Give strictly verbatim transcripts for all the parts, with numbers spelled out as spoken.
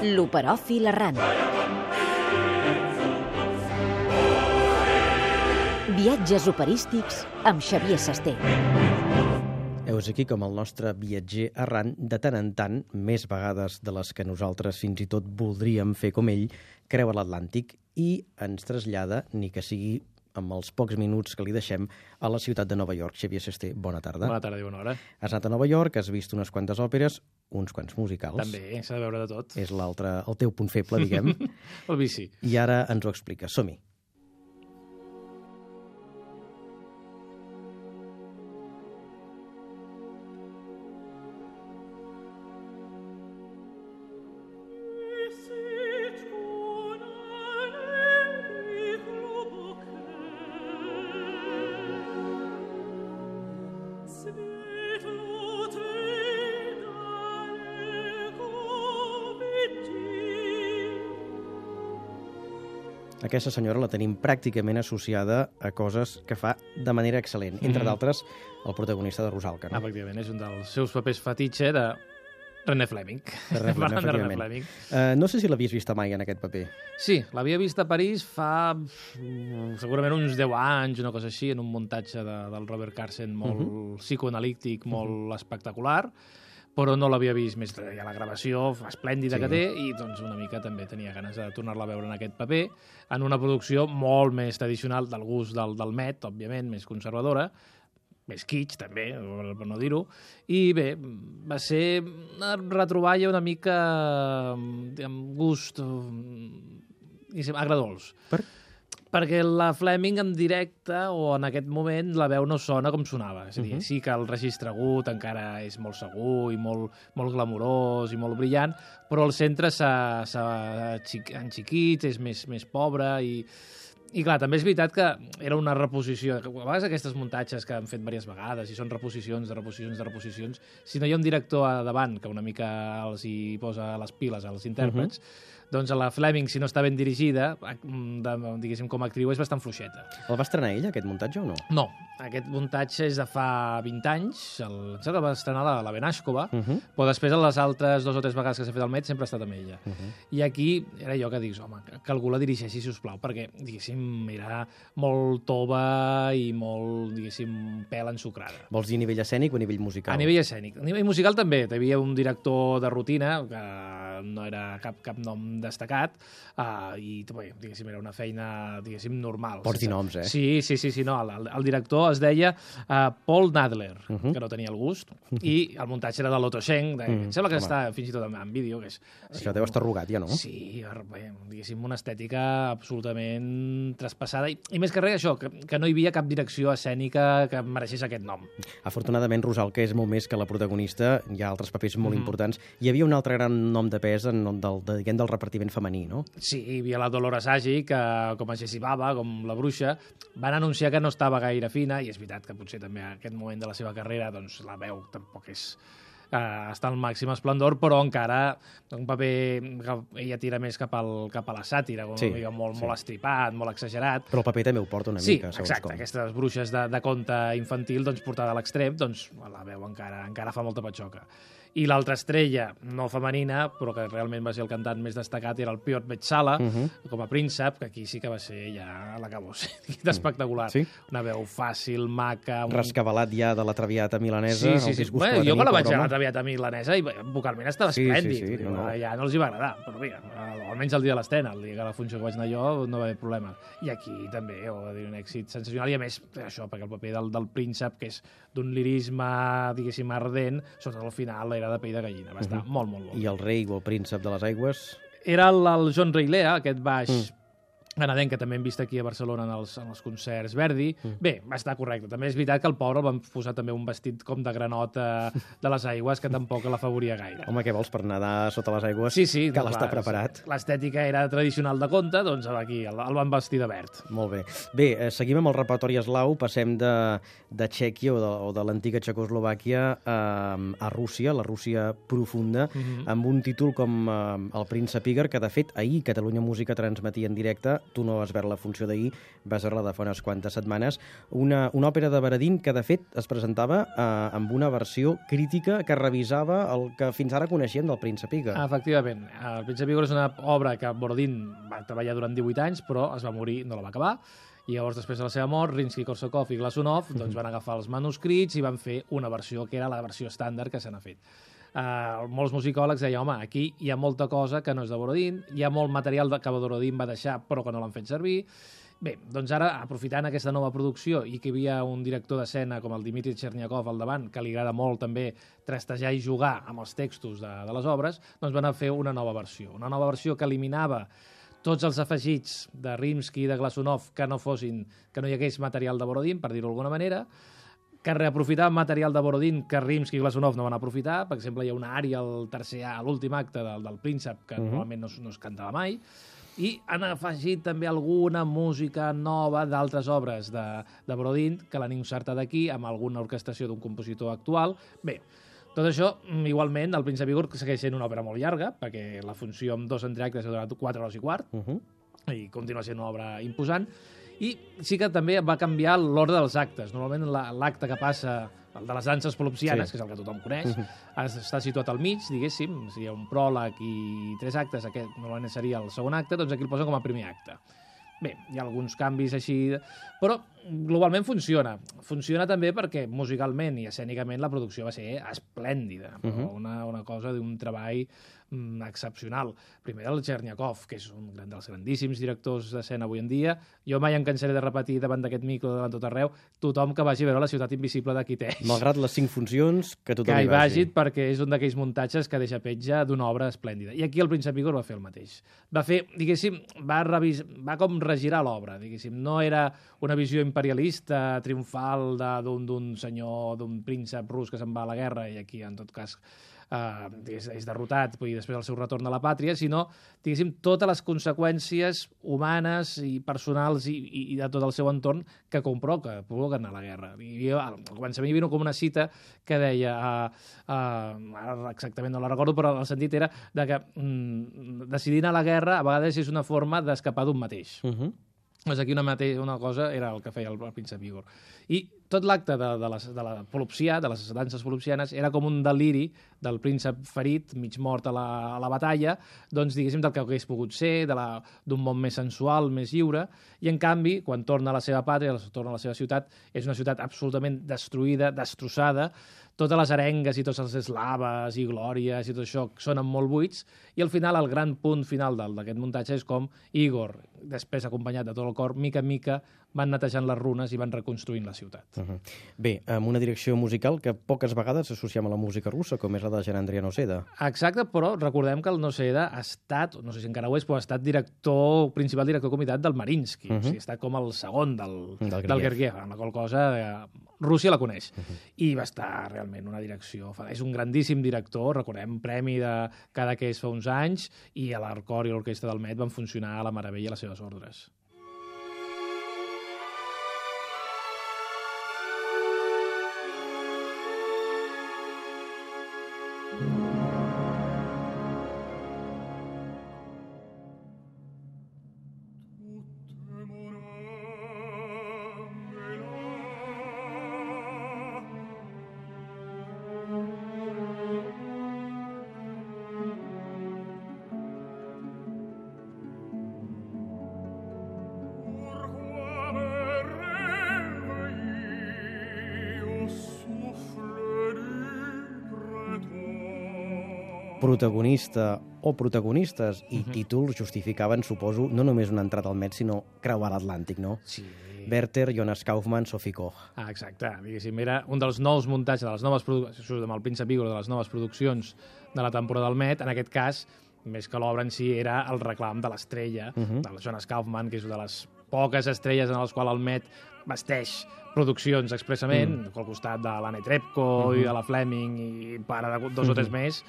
L'Operòfil errant. Viatges operístics amb Xavier Sasté. Heus aquí com el nostre viatger errant, de tant en tant, més vegades de les que nosaltres fins i tot voldríem fer com ell, creua l'Atlàntic i ens trasllada, ni que sigui amb els pocs minuts que li deixem, a la ciutat de Nova York. Xavier Sasté, bona tarda. Bona tarda i bona hora. Has anat a Nova York, has vist unes quantes òperes, uns quants musicals. També, s'ha de veure de tot. És l'altre, el teu punt feble, diguem. El vici. I ara ens ho expliques. Som-hi. Aquesta senyora la tenim pràcticament associada a coses que fa de manera excel·lent. Entre mm. d'altres, el protagonista de Rusalka. No? Efectivament, és un dels seus papers fetitxe de René Fleming. De René, Parlant de René Fleming. Uh, no sé si l'havies vista mai en aquest paper. Sí, l'havia vist a París fa mm, segurament uns deu anys, una cosa així, en un muntatge de, del Robert Carsen molt uh -huh. psicoanalític, molt uh -huh. espectacular, però no l'havia vist més. Hi ha la gravació esplèndida sí. que té i doncs una mica també tenia ganes de tornar-la a veure en aquest paper, en una producció molt més tradicional del gust del, del Met, òbviament, més conservadora, més kitsch també, per no dir-ho, i bé, va ser una retroballa una mica amb gust agradolç. Per? Perquè la Fleming en directe o en aquest moment la veu no sona com sonava. És a dir, uh -huh. sí que el registre agut encara és molt segur i molt, molt glamurós i molt brillant, però el centre s'ha enxiquit, és més, més pobre i... I clar, també és veritat que era una reposició. A vegades aquestes muntatges que han fet diverses vegades i són reposicions de reposicions de reposicions, si no hi ha un director a davant que una mica els hi posa les piles als intèrprets, uh-huh. doncs a la Fleming, si no està ben dirigida, de, diguéssim, com a actriu, és bastant fluixeta. El va estrenar ella, aquest muntatge, o no? No, aquest muntatge és de fa vint anys, el, el va estrenar la, la Benashkova, uh-huh. però després, a les altres dues o tres vegades que s'ha fet el Met, sempre ha estat amb ella. Uh-huh. I aquí era jo que dius, home, que algú la dirigeixi, si us plau, perquè, diguéssim, era molt tova i molt, diguéssim, pèl ensucrada. Vols dir a nivell escènic o a nivell musical? A nivell escènic. A nivell musical també. Hi havia un director de rutina, que no era cap, cap nom destacat, uh, i bé, diguéssim, era una feina, diguéssim, normal. Pots dir noms, eh? Sí, sí, sí, sí no. El, el director es deia uh, Paul Nadler, uh -huh. que no tenia el gust, uh -huh. i el muntatge era de l'Otto Schenk, de, uh -huh. em sembla que Home. està fins i tot en, en vídeo. Que és, Això sí, deu estar arrugat, ja, no? Sí, bé, diguéssim, una estètica absolutament traspassada, i, i més que res això, que, que no hi havia cap direcció escènica que mereixés aquest nom. Afortunadament, Rusalka és molt més que la protagonista, hi ha altres papers molt mm. importants. Hi havia un altre gran nom de pes en nom del, de, diguem, del repartiment femení, no? Sí, hi havia la Dolores Agi, que com a Jessie Baba, com la bruixa, van anunciar que no estava gaire fina, i és veritat que potser també en aquest moment de la seva carrera doncs, la veu tampoc és... Uh, està al màxim esplendor, però encara un paper que ella tira més cap, al, cap a la sàtira, com sí, una mica molt, sí. molt estripat, molt exagerat. Però el paper també ho porta una sí, mica, segons exacte, com. Aquestes bruixes de, de conte infantil, doncs, portada a l'extrem, doncs la veu encara, encara fa molta patxoca. I l'altra estrella, no femenina, però que realment va ser el cantant més destacat, era el Piotr Betsala, uh -huh. com a príncep, que aquí sí que va ser ja l'acabó, espectacular. Sí? Una veu fàcil, maca... Un... Rescabalat ja de la traviata milanesa. Sí, sí, sí. Bueno, jo me la vaig a la traviata milanesa i vocalment estava sí, esplèndid. Sí, sí, no, no. Ja no els hi va agradar, però mira, almenys el dia de l'estrena, el dia que la funció que vaig anar jo, no va haver problema. I aquí també, ho va dir, un èxit sensacional, i a més, això, perquè el paper del, del príncep, que és d'un lirisme, diguéssim, ardent, sobretot al final era de pell de gallina, va estar uh -huh. molt, molt bo. I el rei o el príncep de les aigües? Era el, el John Reilea, aquest baix mm. canadenc, que també hem vist aquí a Barcelona en els, en els concerts Verdi. Mm. Bé, va estar correcte. També és veritat que el pobre el van posar també un vestit com de granota de les aigües, que tampoc l'afavoria gaire. Home, què vols, per nedar sota les aigües? Sí, sí. Cal estar preparat. L'estètica era tradicional de conte, doncs aquí el, el van vestir de verd. Molt bé. Bé, eh, seguim amb el repertori eslau, passem de, de Txèquia o de, o de l'antiga Txecoslovàquia a, a Rússia, la Rússia profunda, mm-hmm. amb un títol com eh, El príncep Igor, que de fet ahir Catalunya Música transmetia en directe tu no vas veure la funció d'ahir, vas veure-la de fa unes quantes setmanes, una, una òpera de Baradín que, de fet, es presentava eh, amb una versió crítica que revisava el que fins ara coneixíem del Príncep Igor. Efectivament. El Príncep Igor és una obra que Borodín va treballar durant divuit anys, però es va morir, no la va acabar, i llavors, després de la seva mort, Rimsky-Korsakov i Glazunov doncs, van agafar els manuscrits i van fer una versió que era la versió estàndard que se n'ha fet. Uh, molts musicòlegs deien, home, aquí hi ha molta cosa que no és de Borodín, hi ha molt material que Borodín va deixar però que no l'han fet servir. Bé, doncs ara, aprofitant aquesta nova producció i que hi havia un director d'escena com el Dmitri Chernyakov al davant, que li agrada molt també trastejar i jugar amb els textos de, de les obres, doncs van a fer una nova versió. Una nova versió que eliminava tots els afegits de Rimsky i de Glazunov que no fossin, que no hi hagués material de Borodín, per dir-ho d'alguna manera, que reaprofitaven material de Borodín que Rimsky i Glazunov no van aprofitar. Per exemple, hi ha una ària al tercer a l'últim acte del, del Príncep que uh -huh. normalment no, no es cantava mai, i han afegit també alguna música nova d'altres obres de, de Borodín que l'han insertat aquí amb alguna orquestació d'un compositor actual. Bé, tot això, igualment, el Príncep Igor segueix sent una òpera molt llarga, perquè la funció amb dos entreactes ha durat quatre hores i quart, uh -huh. i continua sent una obra imposant, i sí que també va canviar l'ordre dels actes. Normalment l'acte que passa, el de les danses polopsianes, sí. que és el que tothom coneix, uh -huh. està situat al mig, diguéssim, si hi ha un pròleg i tres actes, aquest normalment seria el segon acte, doncs aquí el posen com a primer acte. Bé, hi ha alguns canvis així, però globalment funciona. Funciona també perquè musicalment i escènicament la producció va ser esplèndida, però uh -huh. una, una cosa d'un treball mm, excepcional. Primer el Chernyakov, que és un dels grandíssims directors d'escena avui en dia. Jo mai em cansaré de repetir davant d'aquest micro, davant tot arreu, tothom que vagi a veure La ciutat invisible de Kiteix. Malgrat les cinc funcions, que tothom que hi vagi. vagi, perquè és un d'aquells muntatges que deixa petja d'una obra esplèndida. I aquí el Príncep Igor va fer el mateix. Va fer, diguéssim, va, revis... va com regirar l'obra, diguéssim. No era una visió imperialista, triomfal d'un senyor, d'un príncep rus que se'n va a la guerra i aquí, en tot cas, Uh, és, és derrotat i després el seu retorn a la pàtria, sinó, diguéssim, totes les conseqüències humanes i personals i, i, i de tot el seu entorn que comprovoca, provoquen a la guerra. I jo, al començament hi havia com una cita que deia, uh, uh, ara exactament no la recordo, però el sentit era de que mm, decidir anar a la guerra a vegades és una forma d'escapar d'un mateix. Uh -huh. Doncs aquí una, mateixa, una cosa era el que feia el, el Príncep Igor. I tot l'acte de, de, les, de la polopsia, de les danses polopsianes, era com un deliri del príncep ferit, mig mort a la, a la batalla, doncs, diguéssim, del que hagués pogut ser, d'un món més sensual, més lliure, i, en canvi, quan torna a la seva pàtria, torna a la seva ciutat, és una ciutat absolutament destruïda, destrossada, totes les arengues i tots els eslaves i glòries i tot això sonen molt buits, i al final, el gran punt final d'aquest muntatge és com Igor, després acompanyat de tot el cor, mica en mica, van netejant les runes i van reconstruint la ciutat. Uh -huh. Bé, amb una direcció musical que poques vegades s'associa amb la música russa, com és la de Gerandria Noseda. Exacte, però recordem que el Noseda ha estat, no sé si encara ho és, però ha estat director, principal director comitat del Mariinsky, uh -huh. o sigui, ha estat com el segon del, del, del Gergiev, amb la qual cosa eh, Rússia la coneix. Uh -huh. I va estar realment una direcció... És un grandíssim director, recordem, premi de Cadaqués fa uns anys, i a l'Arcor i l'Orquestra del Met van funcionar a la meravella a les seves ordres. Protagonista o protagonistes i uh -huh. títols justificaven, suposo, no només una entrada al Met, sinó creuar l'Atlàntic, no? Sí. Werther, Jonas Kaufmann, Sophie Koch. Ah, exacte. Diguéssim, era un dels nous muntatges, de les noves produccions, amb el Príncep Igor, de les noves produccions de la temporada del Met. En aquest cas, més que l'obra en si, era el reclam de l'estrella, uh -huh. del Jonas Kaufmann, que és una de les poques estrelles en les quals el Met vesteix produccions expressament, mm. al costat de l'Anne Trepko uh -huh. i de la Fleming i para de dos uh -huh. o tres més.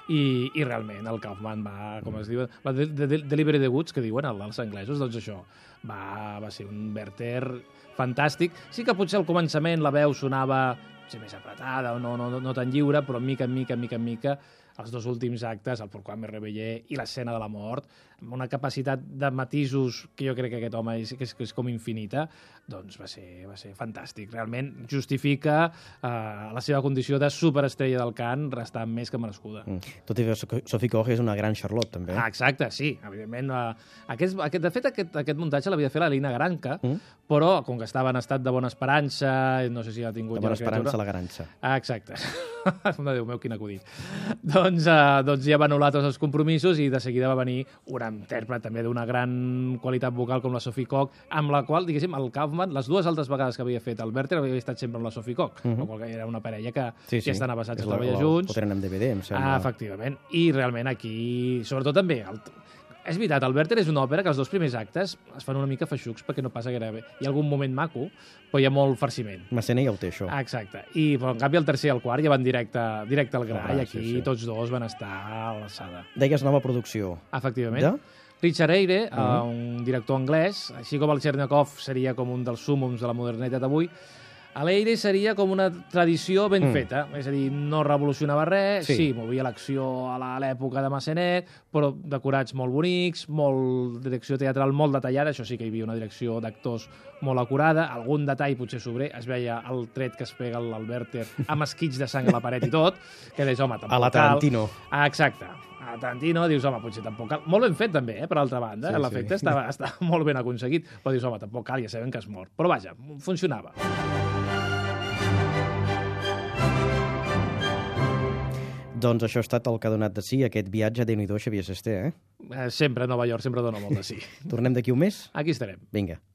I, i realment el Kaufmann va, com es diu, la de, de, de, Delivery the Goods, que diuen els anglesos, doncs això, va, va ser un Werther fantàstic. Sí que potser al començament la veu sonava potser més apretada o no, no, no tan lliure, però mica en mica, mica en mica, els dos últims actes, el Pourquoi me réveillé i l'escena de la mort, amb una capacitat de matisos que jo crec que aquest home és, que és, que és com infinita, doncs va ser, va ser fantàstic. Realment justifica eh, la seva condició de superestrella del cant, restant més que merescuda. Mm. Tot i que Sophie Koch és una gran Charlotte, també. Ah, exacte, sí. Evidentment, eh, aquest, aquest, de fet, aquest, aquest muntatge l'havia de fer la Lina Granca, Mm. però, com que estava en estat de bona esperança, no sé si ha tingut... De bona ja la criatura. esperança, la garança. Ah, exacte. Déu meu, quin acudit. doncs, eh, doncs ja va anul·lar tots els compromisos i de seguida va venir una intèrpret també d'una gran qualitat vocal com la Sophie Koch, amb la qual, diguéssim, el Kaufman, les dues altres vegades que havia fet el Werther, havia estat sempre amb la Sophie Koch, Mhm. la qual cosa era una parella que Sí, sí. ja estan avançats És a la- treballar la- junts. Ho tenen en D V D, em sembla. Ah, efectivament. I realment aquí, sobretot també, el, és veritat, el Werther és una òpera que els dos primers actes es fan una mica feixucs perquè no passa gaire bé. Hi ha algun moment maco, però hi ha molt farciment. Massenet ja ho té, això. Ah, exacte. I, però, en canvi, el tercer i el quart ja van directe, directe al gra, Al gra, i aquí sí, sí. tots dos van estar a l'alçada. Deies nova producció. Efectivament. De? Richard Eyre, Mhm. uh, un director anglès, així com el Chernyakov seria com un dels súmums de la modernitat d'avui, l'Eyre seria com una tradició ben Mm. feta, és a dir, no revolucionava res, Sí. sí, movia l'acció a la- a l'època de Massenet, però decorats molt bonics, molt direcció teatral molt detallada, això sí que hi havia una direcció d'actors molt acurada, algun detall potser sobrer, es veia el tret que es pega al Werther amb esquits de sang a la paret i tot, que deies, home, tampoc A la cal. Tarantino. Ah, exacte. A Tarantino dius, home, potser tampoc cal. Molt ben fet, també, eh, per altra banda. Sí, Sí, L'efecte sí. està, està molt ben aconseguit. Però dius, home, tampoc cal, ja sabem que es mor. Però vaja, funcionava. Doncs això ha estat el que ha donat de si aquest viatge a Déu-n'hi-do, Xavier Sesté, eh? Eh, sempre a Nova York, sempre dona molt de sí. Tornem d'aquí un mes? Aquí estarem. Vinga.